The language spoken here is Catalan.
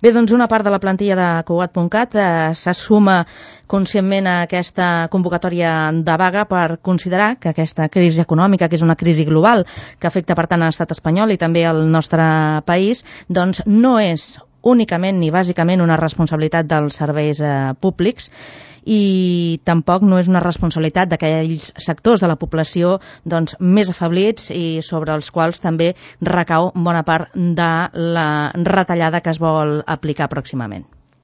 Bé, doncs una part de la plantilla de Cugat.cat se suma conscientment a aquesta convocatòria de vaga per considerar que aquesta crisi econòmica, que és una crisi global, que afecta per tant a l'estat espanyol i també al nostre país, doncs no és únicament ni bàsicament una responsabilitat dels serveis públics i tampoc no és una responsabilitat d'aquells sectors de la població doncs, més afeblits i sobre els quals també recau bona part de la retallada que es vol aplicar pròximament.